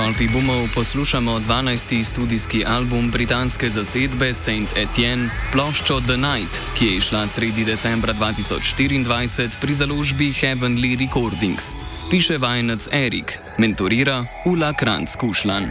sklopi boomov poslušamo 12. studijski album britanske zasedbe Saint Etienne, ploščo The Night, ki je izšla sredi decembra 2024 pri založbi Heavenly Recordings. Piše vajenec Erik, mentorira Ula Kranc-Kušlan.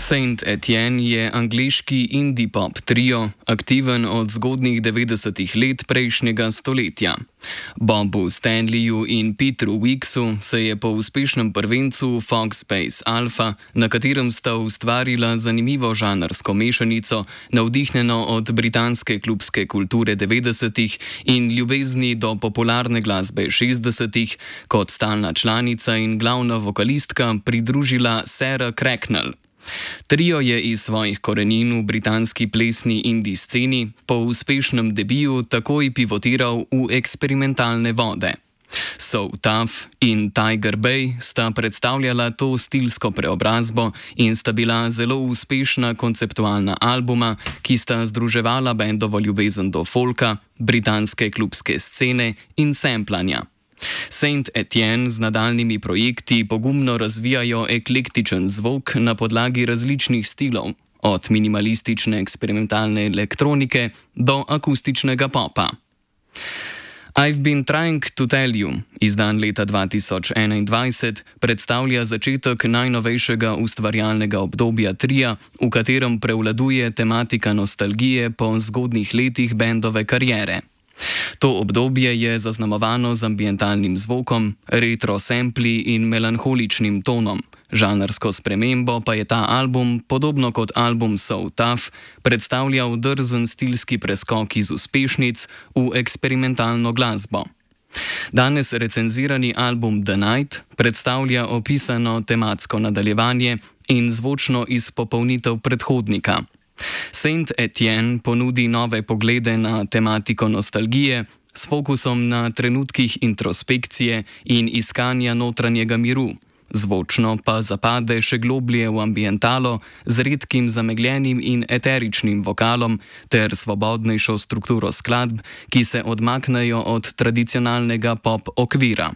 Saint Etienne je angleški indie pop trio, aktiven od zgodnjih 90-ih let prejšnjega stoletja. Bobu Stanleyju in Petru Wicksu se je po uspešnem prvencu Foxbase Alpha, na katerem sta ustvarila zanimivo žanrsko mešanico, navdihnjeno od britanske klubske kulture 90-ih in ljubezni do popularne glasbe 60-ih, kot stalna članica in glavna vokalistka pridružila Sarah Cracknell. Trio je iz svojih korenin v britanski plesni indie sceni po uspešnem debiju takoj pivotiral v eksperimentalne vode. So Tough in Tiger Bay sta predstavljala to stilsko preobrazbo in sta bila zelo uspešna konceptualna albuma, ki sta združevala bendovo ljubezen do folka, britanske klubske scene in samplanja. Saint Etienne z nadaljnimi projekti pogumno razvijajo eklektičen zvok na podlagi različnih stilov, od minimalistične eksperimentalne elektronike do akustičnega popa. I've Been Trying to Tell You, izdan leta 2021, predstavlja začetek najnovejšega ustvarjalnega obdobja tria, v katerem prevladuje tematika nostalgije po zgodnjih letih bendove kariere. To obdobje je zaznamovano z ambientalnim zvokom, retro sampli in melanholičnim tonom. Žanrsko spremembo pa je ta album, podobno kot album So Tough, predstavljal drzen stilski preskok iz uspešnic v eksperimentalno glasbo. Danes recenzirani album The Night predstavlja opisano tematsko nadaljevanje in zvočno izpopolnitev predhodnika. Saint Etienne ponudi nove poglede na tematiko nostalgije s fokusom na trenutkih introspekcije in iskanja notranjega miru, zvočno pa zapade še globlje v ambientalo z redkim zamegljenim in eteričnim vokalom ter svobodnejšo strukturo skladb, ki se odmaknejo od tradicionalnega pop okvira.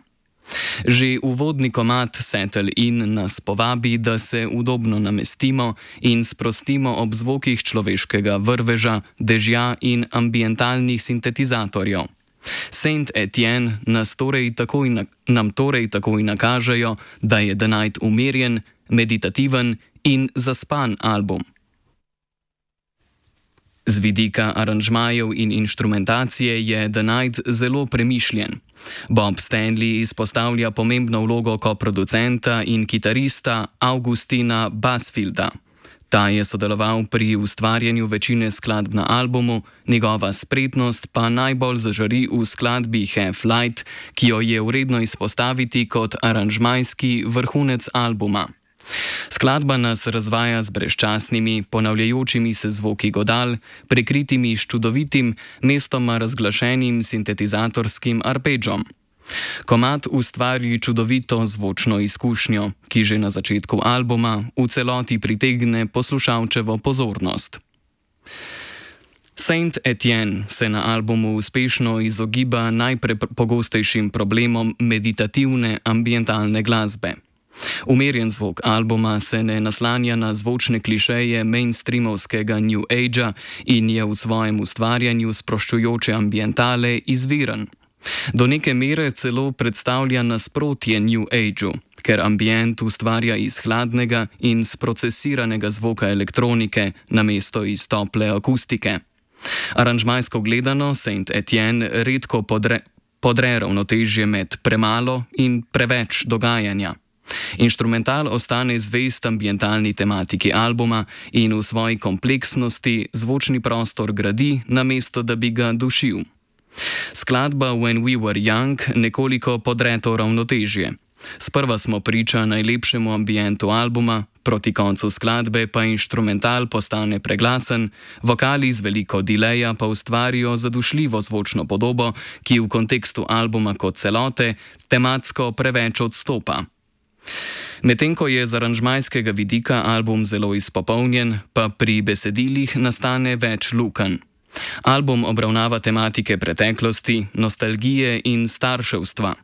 Že uvodni komad Settle In nas povabi, da se udobno namestimo in sprostimo ob zvokih človeškega vrveža, dežja in ambientalnih sintetizatorjev. Saint Etienne nam torej takoj nakažejo, da je The Night umirjen, meditativen in zaspan album. Z vidika aranžmajev in inštrumentacije je The Night zelo premišljen. Bob Stanley izpostavlja pomembno vlogo koproducenta in kitarista Augustina Basfielda. Ta je sodeloval pri ustvarjanju večine skladb na albumu, njegova spretnost pa najbolj zažari v skladbi Have Light, ki jo je vredno izpostaviti kot aranžmajski vrhunec albuma. Skladba nas razvaja z brezčasnimi, ponavljajočimi se zvoki godal, prekritimi s čudovitim, mestoma razglašenim sintetizatorskim arpeggiom. Komad ustvari čudovito zvočno izkušnjo, ki že na začetku albuma v celoti pritegne poslušalčevo pozornost. Saint Etienne se na albumu uspešno izogiba najpogostejšim problemom meditativne ambientalne glasbe. Umirjen zvok albuma se ne naslanja na zvočne klišeje mainstreamovskega New Agea in je v svojem ustvarjanju sproščujoče ambientale izviren. Do neke mere celo predstavlja nasprotje New Ageu, ker ambient ustvarja iz hladnega in sprocesiranega zvoka elektronike namesto iz tople akustike. Aranžmajsko gledano Saint Etienne redko podre ravnotežje med premalo in preveč dogajanja. Inštrumental ostane zvest ambientalni tematiki albuma in v svoji kompleksnosti zvočni prostor gradi, namesto da bi ga dušil. Skladba When We Were Young nekoliko podre to ravnotežje. Sprva smo priča najlepšemu ambientu albuma, proti koncu skladbe pa inštrumental postane preglasen, vokali z veliko dileja pa ustvarijo zadušljivo zvočno podobo, ki v kontekstu albuma kot celote tematsko preveč odstopa. Medtem ko je z aranžmajskega vidika album zelo izpopolnjen, pa pri besedilih nastane več lukenj. Album obravnava tematike preteklosti, nostalgije in starševstva.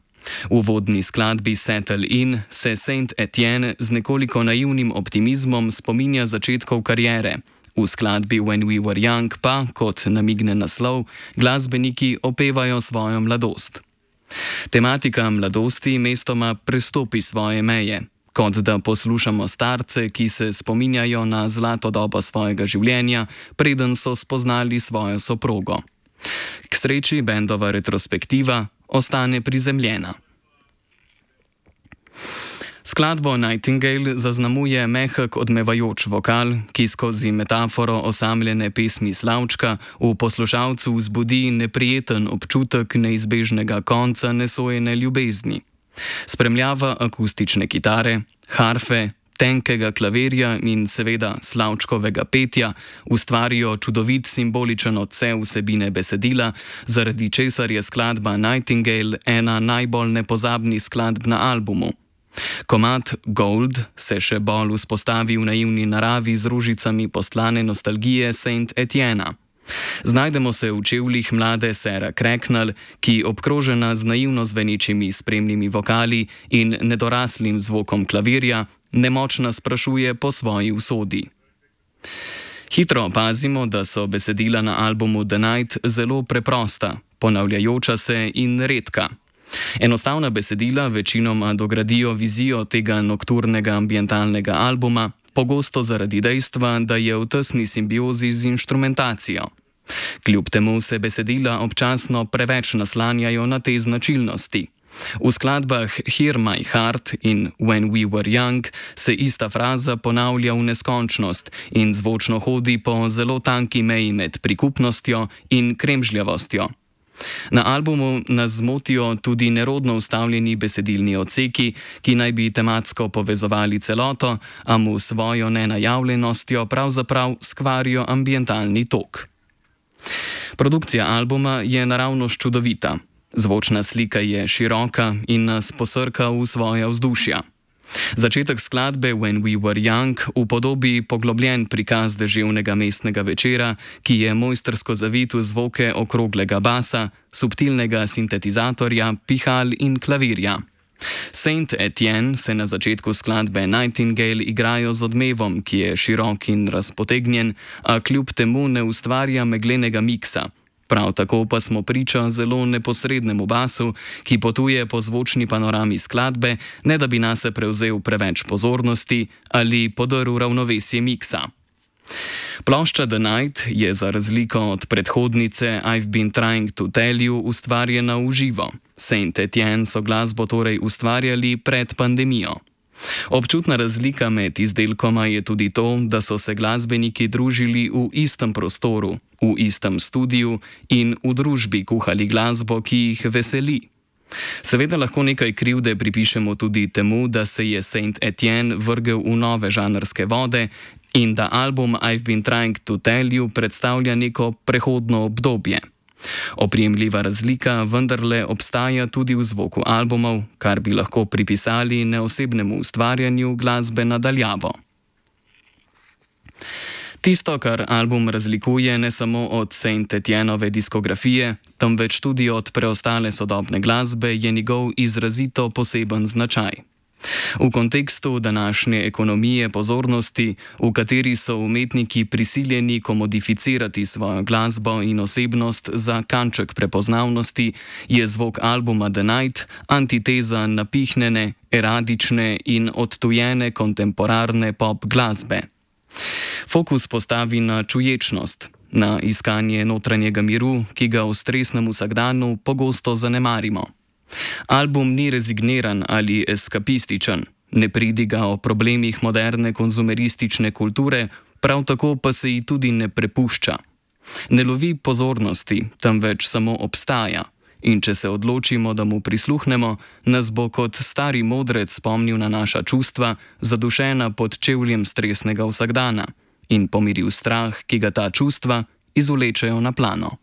V uvodni skladbi Settle In se Saint Etienne z nekoliko naivnim optimizmom spominja začetkov kariere. V skladbi When We Were Young pa, kot namigne naslov, glasbeniki opevajo svojo mladost. Tematika mladosti mestoma prestopi svoje meje, kot da poslušamo starce, ki se spominjajo na zlato dobo svojega življenja, preden so spoznali svojo soprogo. K sreči bendova retrospektiva ostane prizemljena. Skladbo Nightingale zaznamuje mehek odmevajoč vokal, ki skozi metaforo osamljene pesmi Slavčka v poslušalcu vzbudi neprijeten občutek neizbežnega konca nesojene ljubezni. Spremljava akustične kitare, harfe, tenkega klavirja in seveda Slavčkovega petja ustvarijo čudovit simboličen odsev vsebine besedila, zaradi česar je skladba Nightingale ena najbolj nepozabnih skladb na albumu. Komad Gold se še bolj vzpostavi v naivni naravi z rožicami postlane nostalgije Saint Etienna. Znajdemo se v čevljih mlade Sarah Cracknell, ki obkrožena z naivno zvenečimi spremnimi vokali in nedoraslim zvokom klavirja, nemočna sprašuje po svoji usodi. Hitro opazimo, da so besedila na albumu The Night zelo preprosta, ponavljajoča se in redka. Enostavna besedila večinoma dogradijo vizijo tega nokturnega ambientalnega albuma, pogosto zaradi dejstva, da je v tesni simbiozi z inštrumentacijo. Kljub temu se besedila občasno preveč naslanjajo na te značilnosti. V skladbah Hear My Heart in When We Were Young se ista fraza ponavlja v neskončnost in zvočno hodi po zelo tanki meji med prikupnostjo in kremžljavostjo. Na albumu nas zmotijo tudi nerodno ustavljeni besedilni odseki, ki naj bi tematsko povezovali celoto, a mu svojo nenajavljenostjo pravzaprav skvarijo ambientalni tok. Produkcija albuma je naravnost čudovita. Zvočna slika je široka in nas posrka v svoja vzdušja. Začetek skladbe When We Were Young upodobi poglobljen prikaz deževnega mestnega večera, ki je mojstrsko zavit v zvoke okroglega basa, subtilnega sintetizatorja, pihal in klavirja. Saint Etienne se na začetku skladbe Nightingale igrajo z odmevom, ki je širok in razpotegnjen, a kljub temu ne ustvarja meglenega miksa. Prav tako pa smo priča zelo neposrednemu basu, ki potuje po zvočni panorami skladbe, ne da bi nase prevzel preveč pozornosti ali podrl ravnovesje miksa. Plošča The Night je za razliko od predhodnice I've Been Trying to Tell You ustvarjena v živo. Saint Etienne so glasbo torej ustvarjali pred pandemijo. Občutna razlika med izdelkoma je tudi to, da so se glasbeniki družili v istem prostoru, v istem studiu in v družbi kuhali glasbo, ki jih veseli. Seveda lahko nekaj krivde pripišemo tudi temu, da se je Saint Etienne vrgel v nove žanrske vode in da album I've Been Trying to Tell You predstavlja neko prehodno obdobje. Oprijemljiva razlika vendarle obstaja tudi v zvoku albumov, kar bi lahko pripisali neosebnemu ustvarjanju glasbe na daljavo. Tisto, kar album razlikuje ne samo od Saint Etiennove diskografije, temveč tudi od preostale sodobne glasbe, je njegov izrazito poseben značaj. V kontekstu današnje ekonomije pozornosti, v kateri so umetniki prisiljeni komodificirati svojo glasbo in osebnost za kanček prepoznavnosti, je zvok albuma The Night antiteza napihnjene, eradične in odtujene kontemporarne pop glasbe. Fokus postavi na čuječnost, na iskanje notranjega miru, ki ga v stresnem vsakdanu pogosto zanemarimo. Album ni rezigniran ali eskapističen, ne pridiga o problemih moderne konzumeristične kulture, prav tako pa se ji tudi ne prepušča. Ne lovi pozornosti, temveč samo obstaja, in če se odločimo, da mu prisluhnemo, nas bo kot stari modrec spomnil na naša čustva, zadušena pod čevljem stresnega vsakdana, in pomiril strah, ki ga ta čustva izvlečejo na plano.